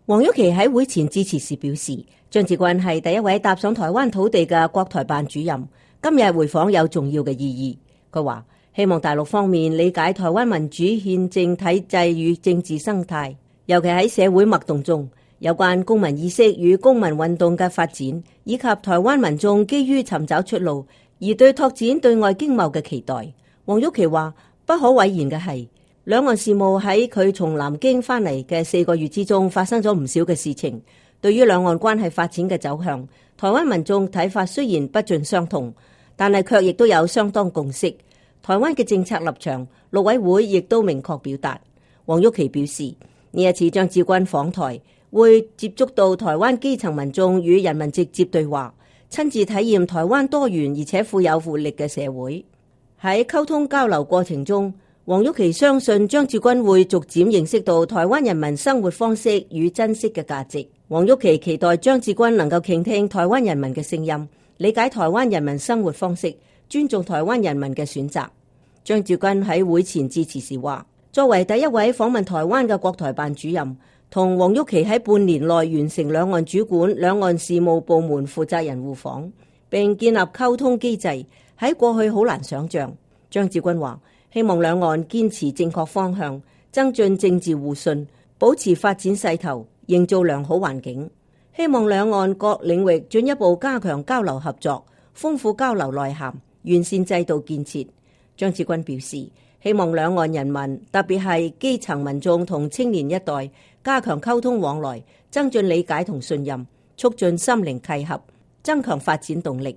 黃郁琪喺會前致辭時表示，張志軍係第一位踏上台灣土地嘅國台辦主任，今日回訪有重要嘅意義。佢話希望大陸方面理解台灣民主憲政體制與政治生態，尤其喺社會脈動中有關公民意識與公民運動嘅發展，以及台灣民眾基於尋找出路而對拓展對外經貿嘅期待。黃郁琪話不可諱言嘅係，兩岸事務喺佢從南京返嚟嘅4個月之中發生咗唔少嘅事情。對於兩岸關係發展嘅走向，台灣民眾睇法雖然不盡相同，但係卻亦都有相當共識。台灣嘅政策立場，陸委會亦都明確表達。黃郁琪表示，呢一次張志軍訪台，會接觸到台灣基層民眾與人民直接對話，親自體驗台灣多元而且富有活力嘅社會。喺溝通交流過程中，黃郁琪相信張志軍會逐漸認識到台灣人民生活方式與珍惜嘅價值。黃郁琪期待張志軍能夠傾聽台灣人民嘅聲音，理解台灣人民生活方式，尊重台灣人民嘅選擇。張志軍喺會前致辭時話，作為第一位訪問台灣嘅國台辦主任，同黃郁琪喺半年內完成兩岸主管、兩岸事務部門負責人互訪，並建立溝通機制，喺過去好難想象。張志軍話，希望兩岸堅持正確方向，增進政治互信，保持發展勢頭，營造良好環境。希望兩岸各領域進一步加強交流合作，豐富交流內涵，完善制度建設。張志軍表示，希望兩岸人民，特別係基層民眾同青年一代，加強溝通往來，增進理解同信任，促進心靈契合，增強發展動力。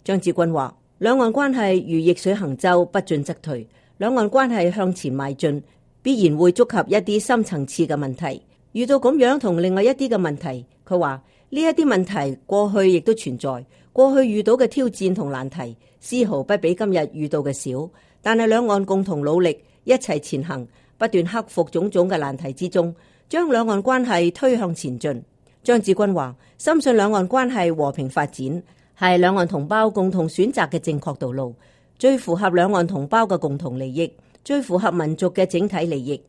張志軍話，兩岸關係如逆水行舟，不進則退。兩岸關係向前邁進，必然會觸及一啲深層次嘅問題。遇到咁樣同另外一啲嘅問題，佢話呢一啲問題過去亦都存在，過去遇到嘅挑戰同難題，絲毫不比今日遇到嘅少。但係兩岸共同努力，一齊前行，不斷克服種種嘅難題之中，將兩岸關係推向前進。張志軍話，深信兩岸關係和平發展係兩岸同胞共同選擇嘅正確道路，最符合兩岸同胞嘅共同利益，最符合民族嘅整體利益。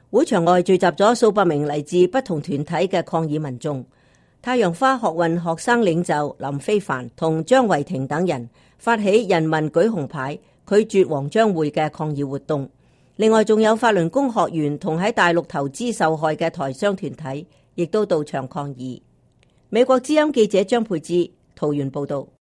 會場外聚集咗數百名嚟自不同團體嘅抗議民眾。太陽花學運學生領袖林飛帆同張維庭等人發起人民舉紅牌，拒絕黃章會嘅抗議活動。另外仲有法輪功學員同喺大陸投資受害嘅台商團體，亦都到場抗議。美國之音記者張佩芝桃園報道。